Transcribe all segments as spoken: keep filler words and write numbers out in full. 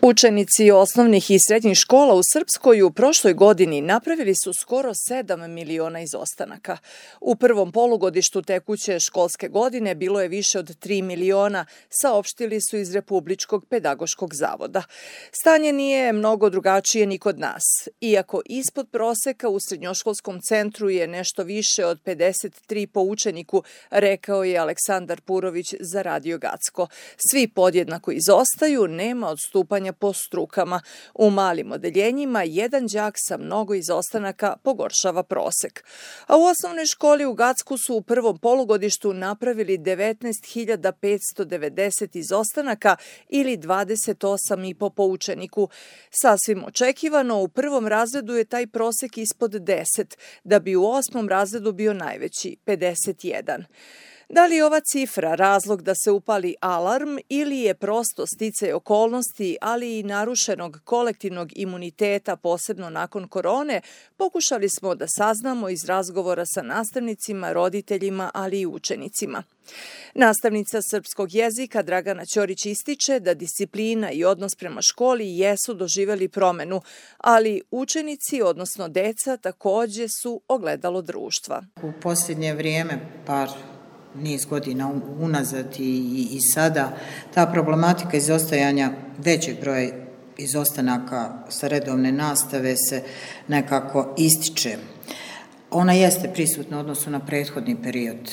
Učenici osnovnih i srednjih škola u Srpskoj u prošloj godini napravili su skoro sedam miliona izostanaka. U prvom polugodištu tekuće školske godine bilo je više od tri miliona, saopštili su iz Republičkog pedagoškog zavoda. Stanje nije mnogo drugačije ni kod nas. Iako ispod proseka u srednjoškolskom centru je nešto više od pedeset tri po učeniku, rekao je Aleksandar Purović za Radio Gacko. Svi podjednako izostaju, nema odstupanja po strukama. U malim odeljenjima jedan đak sa mnogo izostanaka pogoršava prosek. A u osnovnoj školi u Gacku su u prvom polugodištu napravili devetnaest hiljada petsto devedeset izostanaka ili dvadeset osam i po po učeniku. Sasvim očekivano, u prvom razredu je taj prosek ispod deset, da bi u osmom razredu bio najveći, pedeset jedan. Da li je ova cifra razlog da se upali alarm ili je prosto sticaj okolnosti, ali i narušenog kolektivnog imuniteta, posebno nakon korone, pokušali smo da saznamo iz razgovora sa nastavnicima, roditeljima, ali i učenicima. Nastavnica srpskog jezika Dragana Ćorić ističe da disciplina i odnos prema školi jesu doživeli promenu, ali učenici, odnosno deca, takođe su ogledalo društva. U posljednje vrijeme, par niz godina unazad i, i sada, ta problematika izostajanja većeg broja izostanaka sa redovne nastave se nekako ističe. Ona jeste prisutna u odnosu na prethodni period.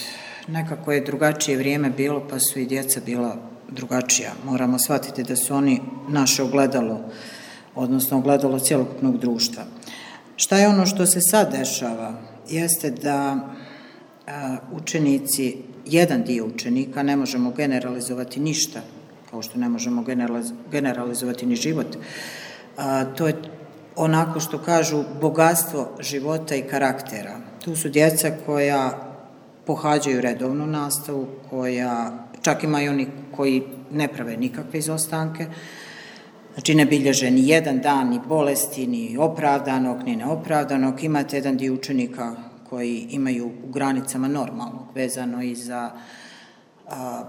Nekako je drugačije vrijeme bilo, pa su i djeca bila drugačija. Moramo shvatiti da su oni naše ogledalo, odnosno ogledalo cjelokupnog društva. Šta je ono što se sad dešava? Jeste da a, učenici, jedan dio učenika, ne možemo generalizovati ništa, kao što ne možemo generalizovati ni život. A, to je onako što kažu bogatstvo života i karaktera. Tu su djeca koja pohađaju redovnu nastavu, koja čak ima i oni koji ne prave nikakve izostanke, znači ne bilježe ni jedan dan, ni bolesti, ni opravdanog, ni neopravdanog. Imate jedan dio učenika koji imaju u granicama normalnog, vezano i za a,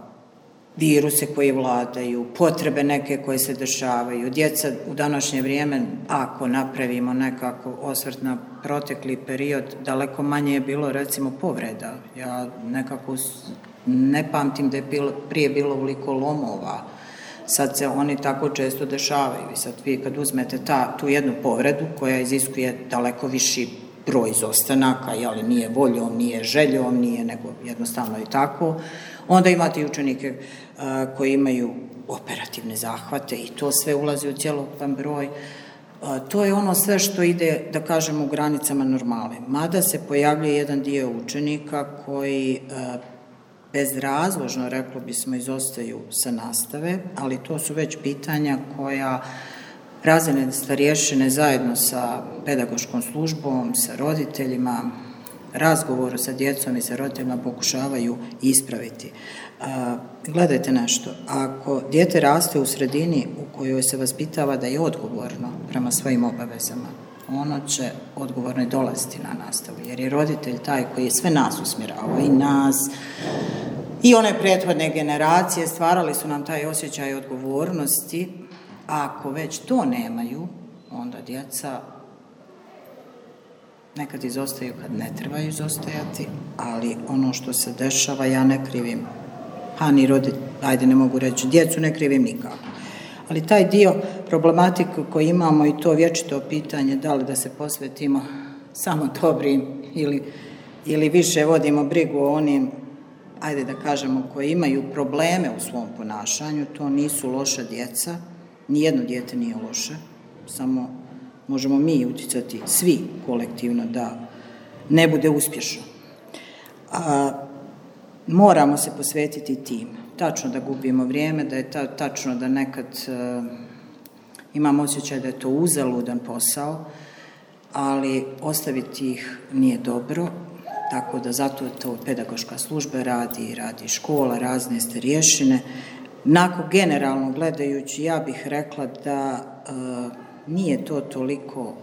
viruse koji vladaju, potrebe neke koje se dešavaju. Djeca u današnje vrijeme, ako napravimo nekako osvrt na protekli period, daleko manje je bilo recimo povreda. Ja nekako ne pamtim da je bilo, prije bilo ovoliko lomova. Sad se oni tako često dešavaju i sad vi kad uzmete ta, tu jednu povredu koja iziskuje daleko viši broj izostanaka, ali nije voljom, nije željom, nije nego jednostavno i tako, onda imate i učenike a, koji imaju operativne zahvate i to sve ulazi u cjelokupan broj. A, to je ono sve što ide, da kažemo, u granicama normale. Mada se pojavljuje jedan dio učenika koji a, bezrazložno, reklo bismo, izostaju sa nastave, ali to su već pitanja koja razredne starješine zajedno sa pedagoškom službom, sa roditeljima, razgovoru sa djecom i sa roditeljima pokušavaju ispraviti. A, gledajte nešto, ako dijete raste u sredini u kojoj se vaspitava da je odgovorno prema svojim obavezama, ono će odgovorno dolaziti na nastavu, jer je roditelj taj koji je sve nas usmjeravao, i nas, i one prethodne generacije, stvarali su nam taj osjećaj odgovornosti. A ako već to nemaju, onda djeca nekad izostaju kad ne trebaju izostajati, ali ono što se dešava ja ne krivim, a ni roditelj, ajde ne mogu reći, djecu ne krivim nikako. Ali taj dio problematike koji imamo i to vječito pitanje da li da se posvetimo samo dobrim ili, ili više vodimo brigu o onim, ajde da kažemo, koji imaju probleme u svom ponašanju, to nisu loša djeca. Nijedno dijete nije loše, samo možemo mi utjecati svi kolektivno da ne bude uspješno. A, moramo se posvetiti tim. Tačno da gubimo vrijeme, da je ta, tačno da nekad a, imamo osjećaj da je to uzaludan posao, ali ostaviti ih nije dobro, tako da zato to pedagoška služba radi, radi škola, razne starješine. Nako generalno gledajući, ja bih rekla da e, nije to toliko,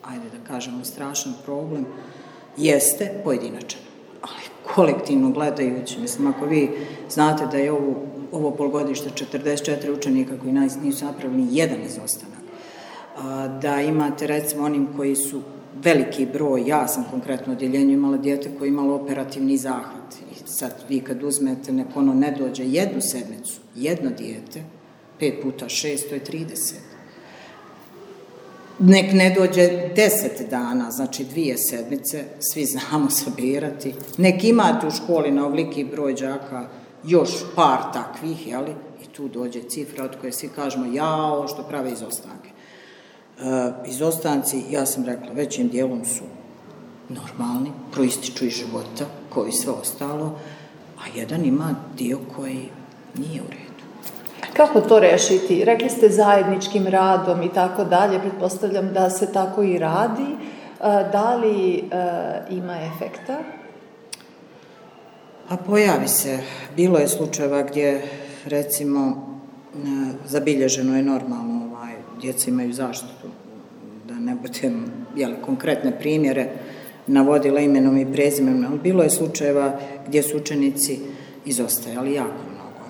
ajde da kažemo, strašan problem, jeste pojedinačan, ali kolektivno gledajući, mislim, ako vi znate da je ovu ovo polgodište četrdeset četiri učenika koji nisu napravili ni jedan izostanak. Da imate recimo onim koji su veliki broj, ja sam konkretno u odjeljenju imala dijete koje je imalo operativni zahvat. I sad vi kad uzmete, nek ono ne dođe jednu sedmicu, jedno dijete, pet puta šest, to je trideset. Nek ne dođe deset dana, znači dvije sedmice, svi znamo sabirati. Nek imate u školi na ovoliki broj đaka još par takvih, jeli? I tu dođe cifra od koje svi kažemo jao što prave izostanke. E, izostanci, ja sam rekla, većim dijelom su normalni, proističu iz života, kao i sve ostalo, a jedan ima dio koji nije u redu. Kako to rešiti? Rekli ste zajedničkim radom i tako dalje, pretpostavljam da se tako i radi. Da li ima efekta? A pojavi se. Bilo je slučajeva gdje, recimo, zabilježeno je normalno, ovaj, djeca imaju zaštitu, da ne budem, jeli, konkretne primjere navodila imenom i prezimenom, ali bilo je slučajeva gdje su učenici izostajali jako mnogo.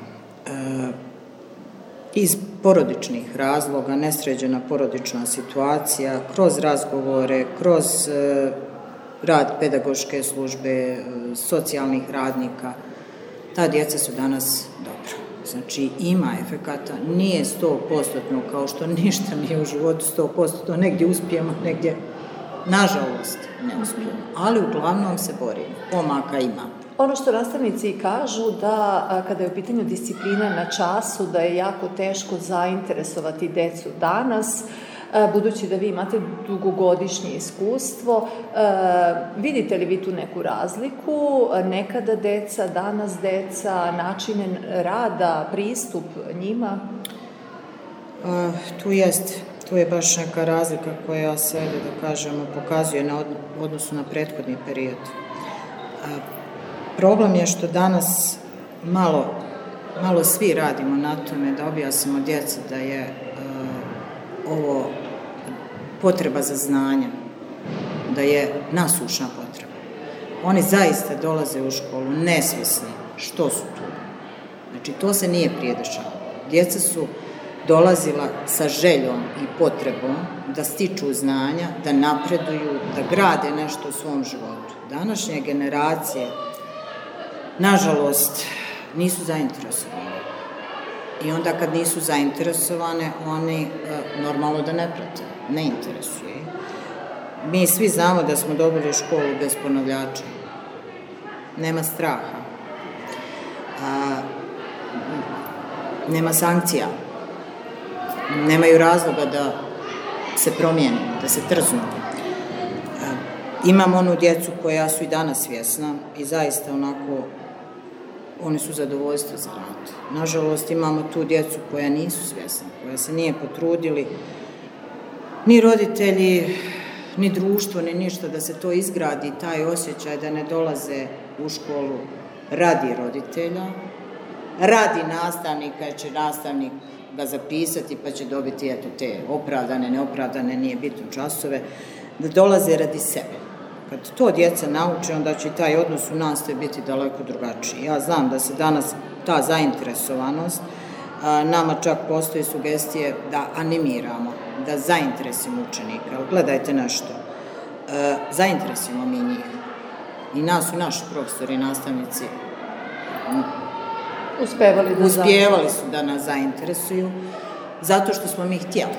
E, iz porodičnih razloga, nesređena porodična situacija, kroz razgovore, kroz e, rad pedagoške službe, e, socijalnih radnika, ta djeca su danas dobro. Znači, ima efekata, nije sto posto kao što ništa nije u životu sto posto, negdje uspijemo, negdje, nažalost, ne uspijemo, ali uglavnom se borimo, pomaka ima. Ono što nastavnici kažu da kada je u pitanju disciplina na času, da je jako teško zainteresovati decu danas, budući da vi imate dugogodišnje iskustvo. Vidite li vi tu neku razliku? Nekada deca, danas deca, načine rada, pristup njima? Tu jest, tu je baš neka razlika koja se, da kažemo, pokazuje na odnosu na prethodni period. Problem je što danas malo, malo svi radimo na tome da objasnimo djeci da je uh, ovo potreba za znanje, da je nasušna potreba. Oni zaista dolaze u školu nesvjesni što su tu. Znači, to se nije prije dešavalo. Djeca su dolazila sa željom i potrebom da stiču znanja, da napreduju, da grade nešto u svom životu. Današnje generacije, nažalost, nisu zainteresovane. I onda kad nisu zainteresovane, oni normalno da ne prate, ne interesuje. Mi svi znamo da smo dobili školu bez ponavljača. Nema straha. A, nema sankcija. Nemaju razloga da se promijeni, da se trznu. Imam onu djecu koja su i danas svjesna i zaista onako, oni su zadovoljstvo za rad. Nažalost, imamo tu djecu koja nisu svjesna, koja se nije potrudili, ni roditelji, ni društvo, ni ništa da se to izgradi, taj osjećaj da ne dolaze u školu radi roditelja, radi nastavnika, jer će nastavnik ga zapisati pa će dobiti eto, te opravdane, neopravdane, nije bitno časove, da dolaze radi sebe. Kad to djeca nauče, onda će taj odnos u nastavi biti daleko drugačiji. Ja znam da se danas ta zainteresovanost, nama čak postoji sugestije da animiramo, da zainteresimo učenika. Gledajte nešto, zainteresimo mi njih. I nas su naši profesori i nastavnici uspevali, da uspjevali su da nas zainteresuju, zato što smo mi htjeli.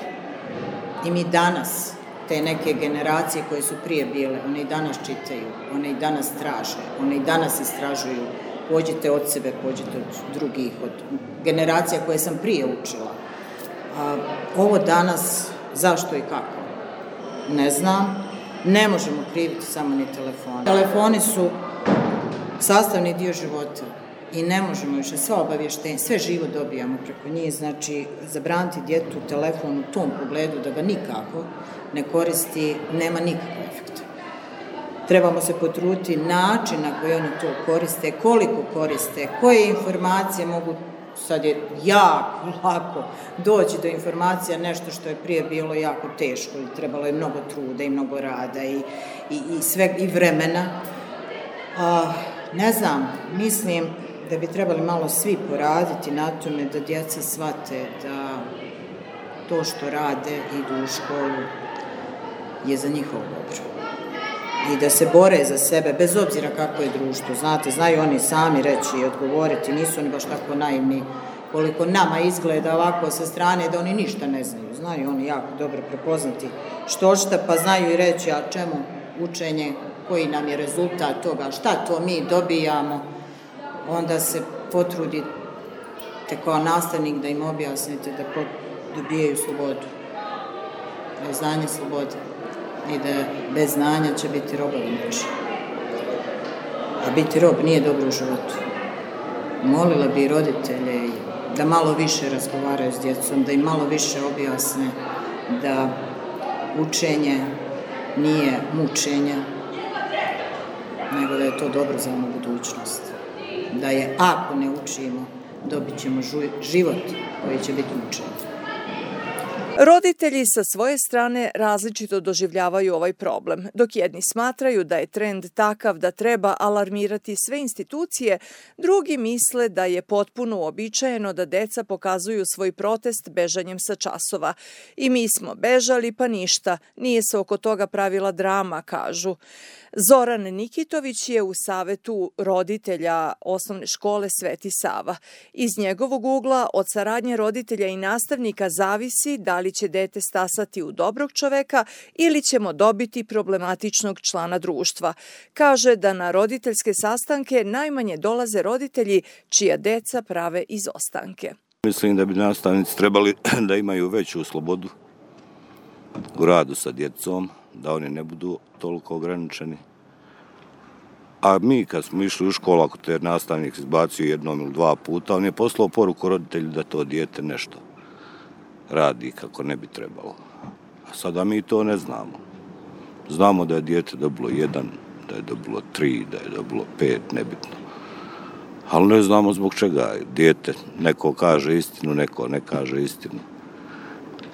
I mi danas, te neke generacije koje su prije bile, one i danas čitaju, one i danas traže, one i danas istražuju. Pođite od sebe, pođite od drugih, od generacija koje sam prije učila. A, ovo danas, zašto i kako? Ne znam. Ne možemo kriviti samo ni telefone. Telefoni su sastavni dio života i ne možemo više sva obavještenja, sve živo dobijamo preko njih, znači zabraniti djetu telefon u tom pogledu da ga nikako ne koristi, nema nikakvog efekta. Trebamo se potruditi način na koji oni to koriste, koliko koriste, koje informacije mogu, sad je jako lako doći do informacija, nešto što je prije bilo jako teško i trebalo je mnogo truda i mnogo rada i, i, i, sve, i vremena. A, ne znam, mislim da bi trebali malo svi poraditi na tome da djeca shvate da to što rade, idu u školu, je za njihovo dobro. I da se bore za sebe, bez obzira kako je društvo. Znate, znaju oni sami reći i odgovoriti, nisu oni baš tako naivni koliko nama izgleda ovako sa strane da oni ništa ne znaju. Znaju oni jako dobro prepoznati što šta, pa znaju i reći, a čemu učenje, koji nam je rezultat toga, šta to mi dobijamo. Onda se potrudite kao nastavnik da im objasnite da dobijaju slobodu, da je znanje slobode i da bez znanja će biti robovi neči. A biti rob nije dobro u životu. Molila bi roditelje da malo više razgovaraju s djecom, da im malo više objasne da učenje nije mučenje, nego da je to dobro za onu budućnost. Da je, ako ne učimo, dobit ćemo život koji će biti mučenje. Roditelji sa svoje strane različito doživljavaju ovaj problem. Dok jedni smatraju da je trend takav da treba alarmirati sve institucije, drugi misle da je potpuno uobičajeno da deca pokazuju svoj protest bežanjem sa časova. I mi smo bežali, pa ništa, nije se oko toga pravila drama, kažu. Zoran Nikitović je u savetu roditelja osnovne škole Sveti Sava. Iz njegovog ugla od saradnje roditelja i nastavnika zavisi da li će dete stasati u dobrog čoveka ili ćemo dobiti problematičnog člana društva. Kaže da na roditeljske sastanke najmanje dolaze roditelji čija deca prave izostanke. Mislim da bi nastavnici trebali da imaju veću slobodu u radu sa djecom, da oni ne budu toliko ograničeni. A mi kad smo išli u školu, ako te nastavnik izbacio jednom ili dva puta, on je poslao poruku roditelju da to dijete nešto radi kako ne bi trebalo. A sada mi to ne znamo. Znamo da je dijete dobilo jedan, da je dobilo tri, da je dobilo pet, nebitno. Ali ne znamo zbog čega. Dijete, neko kaže istinu, neko ne kaže istinu.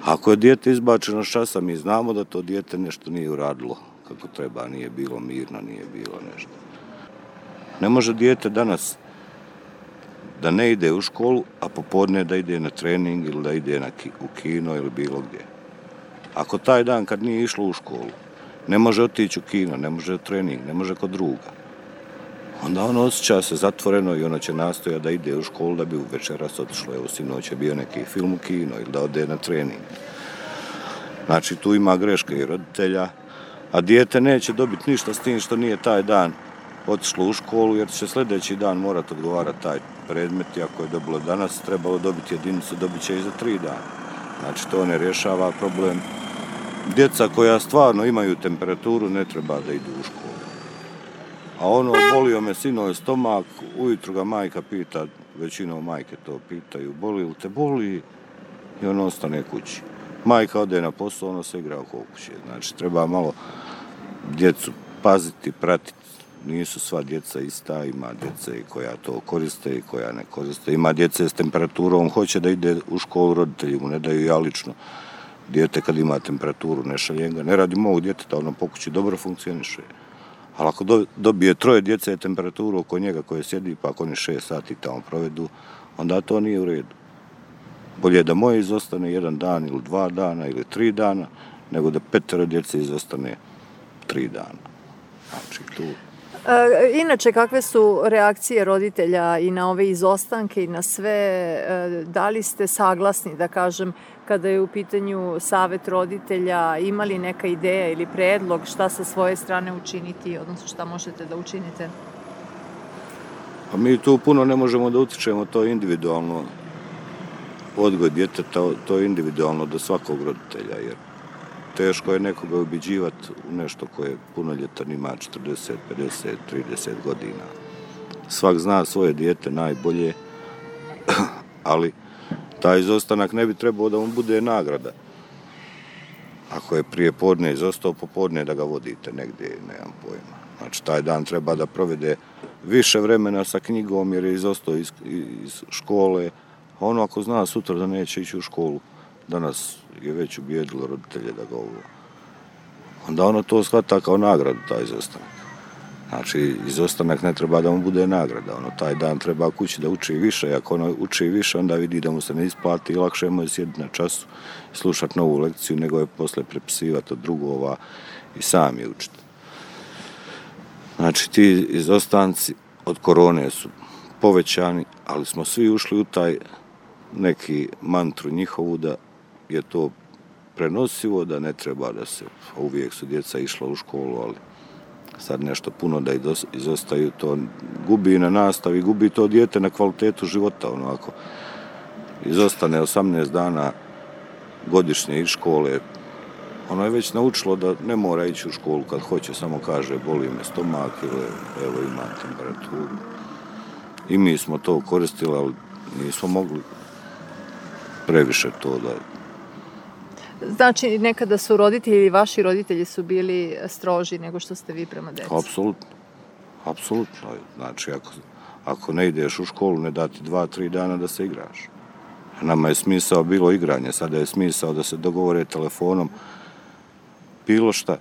Ako je dijete izbačeno s časa, mi znamo da to dijete nešto nije uradilo kako treba, nije bilo mirno, nije bilo nešto. Ne može dijete danas da ne ide u školu, a popodne da ide na trening ili da ide na ki, u kino ili bilo gdje. Ako taj dan kad nije išlo u školu, ne može otići u kino, ne može u trening, ne može kod druga, onda ono osjeća se zatvoreno i ono će nastojati da ide u školu da bi u večeras otišlo. Evo, sinoć je bio neki film u kino ili da ode na trening. Znači, tu ima greške i roditelja, a dijete neće dobiti ništa s tim što nije taj dan otišlo u školu, jer će sljedeći dan morati odgovarati taj predmet i ako je dobilo danas, trebalo dobiti jedinicu, dobit će i za tri dana. Znači, to ne rješava problem. Djeca koja stvarno imaju temperaturu ne treba da idu u školu. A ono, bolio me sinoć stomak, ujutru ga majka pita, većinom majke to pitaju, boli li te, boli, i on ostane kući. Majka ode na posao, ono se igra oko kuće. Znači, treba malo djecu paziti, pratiti. Nisu sva djeca ista, ima djece koja to koriste i koja ne koriste. Ima djece s temperaturom, hoće da ide u školu, roditelji mu ne daju. Ja lično, dijete kad ima temperaturu, ne šaljem ga. Ne radim ovog djeteta, ono po kući dobro funkcioniše. Ali ako do, dobije troje djece temperaturu oko njega koje sjedi, pa ako oni šest sati tamo provedu, onda to nije u redu. Bolje da moje izostane jedan dan ili dva dana ili tri dana, nego da petero djece izostane tri dana. Znači, tu... E, inače, kakve su reakcije roditelja i na ove izostanke i na sve? E, da li ste saglasni, da kažem, kada je u pitanju savet roditelja, imali neka ideja ili predlog šta sa svoje strane učiniti, odnosno šta možete da učinite? Pa mi tu puno ne možemo da utičemo, to je individualno. Odgoj djeteta, to je individualno do svakog roditelja, jer teško je nekoga ubiđivati u nešto koje punoljetan ima četrdeset, pedeset, trideset godina. Svak zna svoje dijete najbolje, ali taj izostanak ne bi trebao da mu bude nagrada. Ako je prije podne izostao, popodne da ga vodite negdje, nemam pojma. Znači, taj dan treba da provede više vremena sa knjigom jer je izostao iz, iz škole. A ono ako zna sutra da neće ići u školu, danas je već ubijedilo roditelje da ga ovo. Onda ono to shvata kao nagradu, taj izostanak. Znači, izostanak ne treba da mu bude nagrada. Ono, taj dan treba kući da uči više. Ako ono uči više, onda vidi da mu se ne isplati i lakše mu je sjediti na času i slušati novu lekciju, nego je posle prepisivati od drugova i sam je učiti. Znači, ti izostanci od korone su povećani, ali smo svi ušli u taj neki mantru njihovu da je to prenosivo, da ne treba da se, uvijek su djeca išla u školu, ali sad nešto puno da izostaju, to gubi na nastavi, gubi to dijete na kvalitetu života. Ono, ako izostane osamnaest dana godišnje iz škole, ono je već naučilo da ne mora ići u školu kad hoće, samo kaže boli me stomak ili evo imam temperaturu. I mi smo to koristili, ali nismo mogli previše to da... Znači, nekada su roditelji ili vaši roditelji su bili stroži nego što ste vi prema djeci? Apsolutno. Apsolutno. Znači, ako, ako ne ideš u školu, ne dati dva, tri dana da se igraš. Nama je smisao bilo igranje, sada je smisao da se dogovore telefonom bilo šta.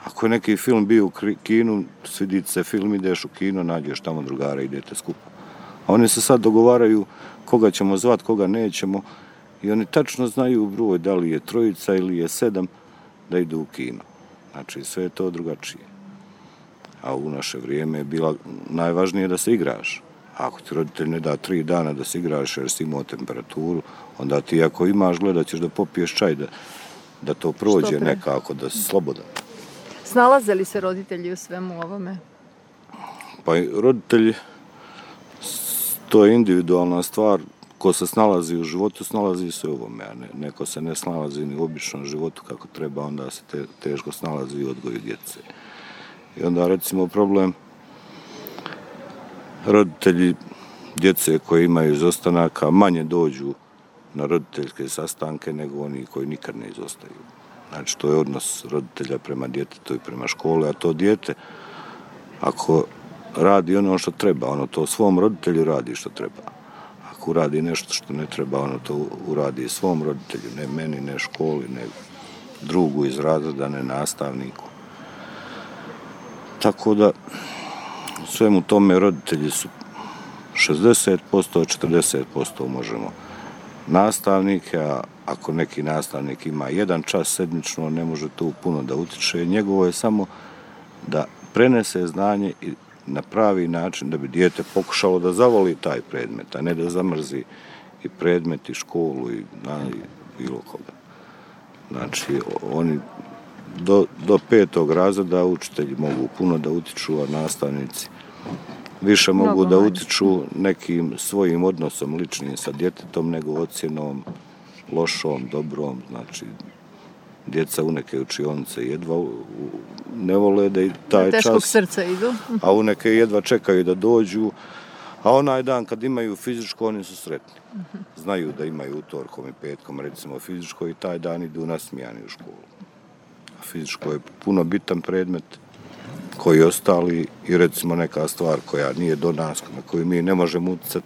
Ako je neki film bio u kinu, svidi se film, ideš u kino, nađeš tamo drugara, idete skupa. A oni se sad dogovaraju koga ćemo zvat, koga nećemo, i oni tačno znaju broj, da li je trojica ili je sedam, da idu u kino. Znači, sve je to drugačije. A u naše vrijeme je bila najvažnije da se igraš. Ako ti roditelj ne da tri dana da se igraš jer si imao temperaturu, onda ti ako imaš gledat ćeš da popiješ čaj, da, da to prođe nekako, da si slobodan. Snalaze li se roditelji u svemu ovome? Pa roditelji, to je individualna stvar. Ko se snalazi u životu, snalazi se u ovome, a ne, neko se ne snalazi ni u običnom životu kako treba, onda se te, teško snalazi u odgoju djece. I onda, recimo, problem roditelji djece koji imaju izostanaka manje dođu na roditeljske sastanke nego oni koji nikad ne izostaju. Znači, to je odnos roditelja prema djetetu i prema škole, a to dijete, ako radi ono što treba, ono to svom roditelju radi što treba. Ako uradi nešto što ne treba, ono to uradi svom roditelju, ne meni, ne školi, ne drugu iz razreda, ne nastavniku. Tako da, u svemu tome roditelji su šezdeset posto, četrdeset posto možemo nastavnike, a ako neki nastavnik ima jedan čas sedmično, ne može tu puno da utiče. Njegovo je samo da prenese znanje i na pravi način da bi dijete pokušalo da zavoli taj predmet, a ne da zamrzi i predmet i školu i, na, i bilo koga. Znači, oni do, do petog razreda učitelji mogu puno da utiču, a nastavnici više mogu Mnogo da manje. utiču nekim svojim odnosom ličnim sa djetetom nego ocjenom, lošom, dobrom. Znači, djeca u neke učionice jedva ne vole da i taj čas... Teškog srca idu. A u neke jedva čekaju da dođu. A onaj dan kad imaju fizičko, oni su sretni. Znaju da imaju utorkom i petkom, recimo fizičko, i taj dan idu nasmijani u školu. A fizičko je puno bitan predmet koji ostali i recimo neka stvar koja nije do nas, na koju mi ne možemo utjecati.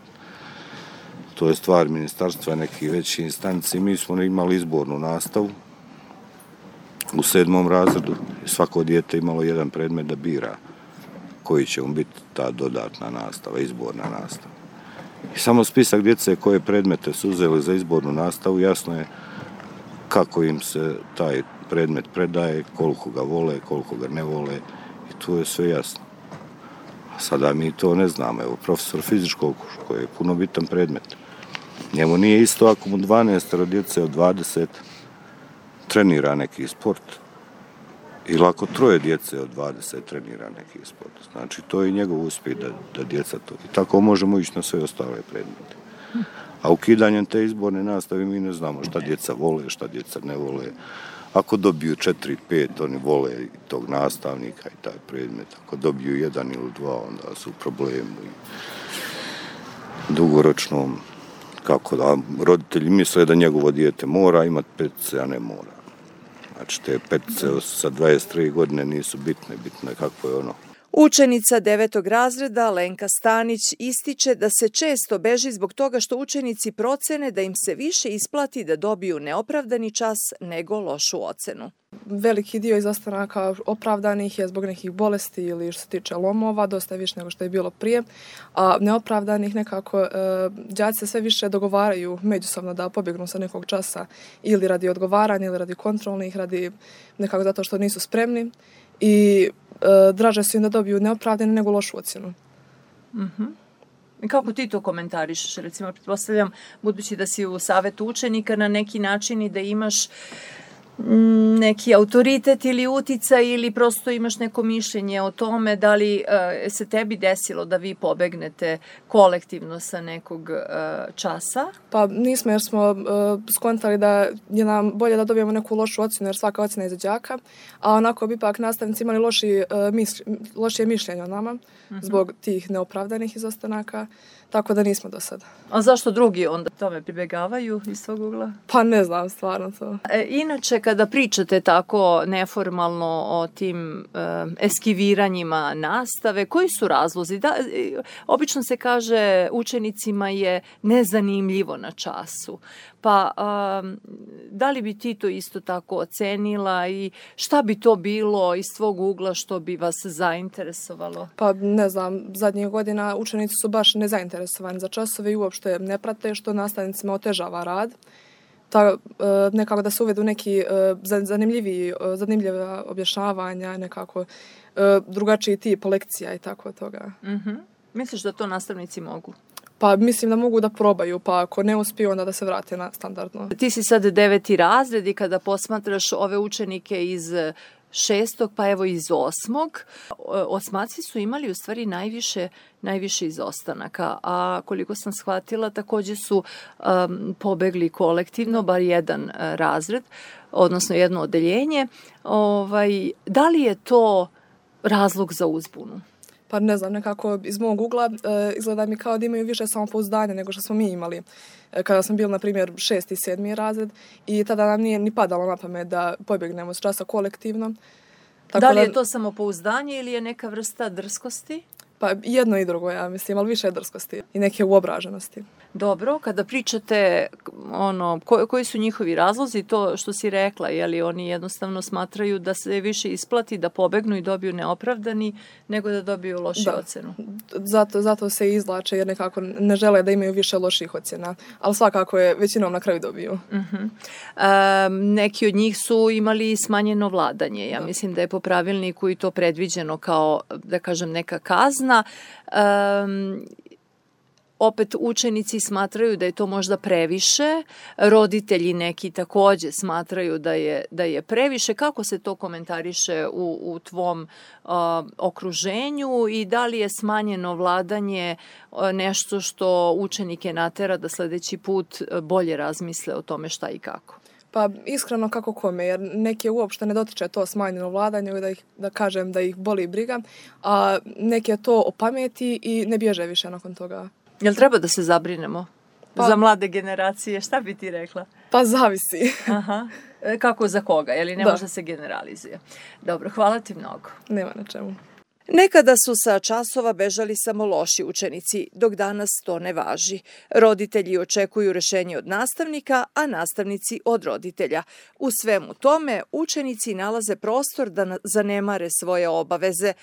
To je stvar ministarstva, neki veći instanci. Mi smo imali izbornu nastavu u sedmom razredu. Svako dijete imalo jedan predmet da bira koji će mu biti ta dodatna nastava, izborna nastava. I samo spisak djece koje predmete su uzeli za izbornu nastavu, jasno je kako im se taj predmet predaje, koliko ga vole, koliko ga ne vole, i tu je sve jasno. A sada mi to ne znamo. Evo, profesor fizičkog, koji je puno bitan predmet, njemu nije isto ako mu dvanaest djece od dvadeset trenira neki sport, ili ako troje djece od dvadeset trenira neki sport. Znači, to je njegov uspjeh da, da djeca to... I tako možemo ići na sve ostale predmete. A ukidanjem te izborne nastave mi ne znamo šta djeca vole, šta djeca ne vole. Ako dobiju četiri, pet, oni vole tog nastavnika i taj predmet. Ako dobiju jedan ili dva, onda su u problemu. I dugoročnom, kako da, roditelji misle da njegovo dijete mora imati petice, a ne mora. Znači, te petice sa dvadeset tri godine nisu bitne, bitno je kako je ono. Učenica devetog razreda Lenka Stanić ističe da se često beži zbog toga što učenici procene da im se više isplati da dobiju neopravdani čas nego lošu ocenu. veliki dio izostanaka opravdanih je zbog nekih bolesti ili što se tiče lomova, dosta više nego što je bilo prije, a neopravdanih nekako e, đaci se sve više dogovaraju međusobno da pobjegnu sa nekog časa ili radi odgovaranja ili radi kontrolnih, radi nekako zato što nisu spremni i e, draže su im da dobiju neopravdane nego lošu ocjenu. Mhm. I kako ti to komentarišeš? Recimo, pretpostavljam, budući da si u savetu učenika na neki način i da imaš neki autoritet ili uticaj ili prosto imaš neko mišljenje o tome da li uh, se tebi desilo da vi pobegnete kolektivno sa nekog uh, časa? Pa nismo, jer smo uh, skontali da je nam bolje da dobijemo neku lošu ocjenu, jer svaka ocjena je za đaka, a onako bi ipak nastavnici imali loši, uh, mis, lošije mišljenje o nama uh-huh. zbog tih neopravdanih izostanaka, tako da nismo do sada. A zašto drugi onda tome pribegavaju iz svog ugla? Pa ne znam stvarno to. E, inače, kada pričate tako neformalno o tim e, eskiviranjima nastave, koji su razlozi? Da, e, obično se kaže učenicima je nezanimljivo na času. Pa a, da li bi ti to isto tako ocenila i šta bi to bilo iz tvog ugla što bi vas zainteresovalo? Pa ne znam, zadnjih godina učenici su baš nezainteresovani za časove i uopšte ne prate, što nastavnicima otežava rad. Ta, nekako da se uvedu neki zanimljivi, zanimljiva objašnjavanja, nekako drugačiji tip lekcija i tako toga. Mm-hmm. Misliš da to nastavnici mogu? Pa mislim da mogu da probaju, pa ako ne uspiju onda da se vrate na standardno. Ti si sad deveti razred i kada posmatraš ove učenike iz šestog, pa evo iz osmog, osmaci su imali u stvari najviše, najviše izostanaka, a koliko sam shvatila takođe su um, pobegli kolektivno, bar jedan uh, razred, odnosno jedno odeljenje. Ovaj, da li je to razlog za uzbunu? Pa ne znam, nekako iz mog ugla e, izgleda mi kao da imaju više samopouzdanja nego što smo mi imali. E, kada smo bili, na primjer, šesti i sedmi razred i tada nam nije ni padalo na pamet da pobjegnemo s časa kolektivno. Tako da li je to samopouzdanje ili je neka vrsta drskosti? Pa jedno i drugo, ja mislim, ali više drskosti i neke uobraženosti. Dobro, kada pričate ono, ko, koji su njihovi razlozi, to što si rekla, je li oni jednostavno smatraju da se više isplati da pobegnu i dobiju neopravdani nego da dobiju lošu da. ocenu? Zato, zato se izvlače jer nekako ne žele da imaju više loših ocjena, ali svakako je većinom na kraju dobiju. Uh-huh. Um, neki od njih su imali smanjeno vladanje. Ja da. mislim da je po pravilniku i to predviđeno kao, da kažem, neka kazna. Um, Opet učenici smatraju da je to možda previše, roditelji neki takođe smatraju da je, da je previše. Kako se to komentariše u, u tvom uh, okruženju i da li je smanjeno vladanje uh, nešto što učenike natera da sledeći put bolje razmisle o tome šta i kako? Pa iskreno kako kome, jer neke uopšte ne dotiče to smanjeno vladanje, da, ih, da kažem da ih boli briga, a neke to opameti i ne bježe više nakon toga. Jel treba da se zabrinemo pa, za mlade generacije? Šta bi ti rekla? Pa zavisi. Aha. Kako za koga? Jel ne da. može se generalizuje? Dobro, hvala ti mnogo. Nema na čemu. Nekada su sa časova bežali samo loši učenici, dok danas to ne važi. Roditelji očekuju rešenje od nastavnika, a nastavnici od roditelja. U svemu tome, učenici nalaze prostor da zanemare svoje obaveze,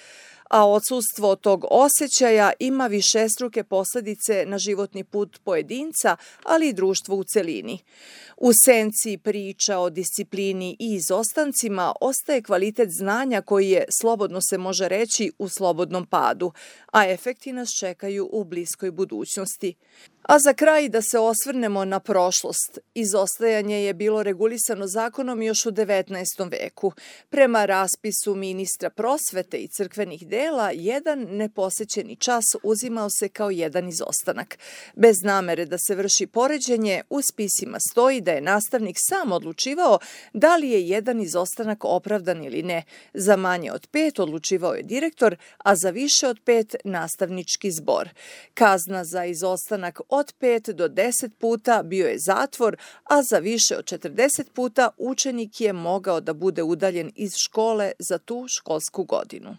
a odsustvo tog osjećaja ima višestruke posledice na životni put pojedinca, ali i društvo u celini. U senci priča o disciplini i izostancima ostaje kvalitet znanja koji je, slobodno se može reći, u slobodnom padu, a efekti nas čekaju u bliskoj budućnosti. A za kraj da se osvrnemo na prošlost. Izostajanje je bilo regulisano zakonom još u devetnaestom veku. Prema raspisu ministra prosvete i crkvenih dela, jedan neposećeni čas uzimao se kao jedan izostanak. Bez namere da se vrši poređenje, u spisima stoji da je nastavnik sam odlučivao da li je jedan izostanak opravdan ili ne. Za manje od pet odlučivao je direktor, a za više od pet nastavnički zbor. Kazna za izostanak od pet do deset puta bio je zatvor, a za više od četrdeset puta učenik je mogao da bude udaljen iz škole za tu školsku godinu.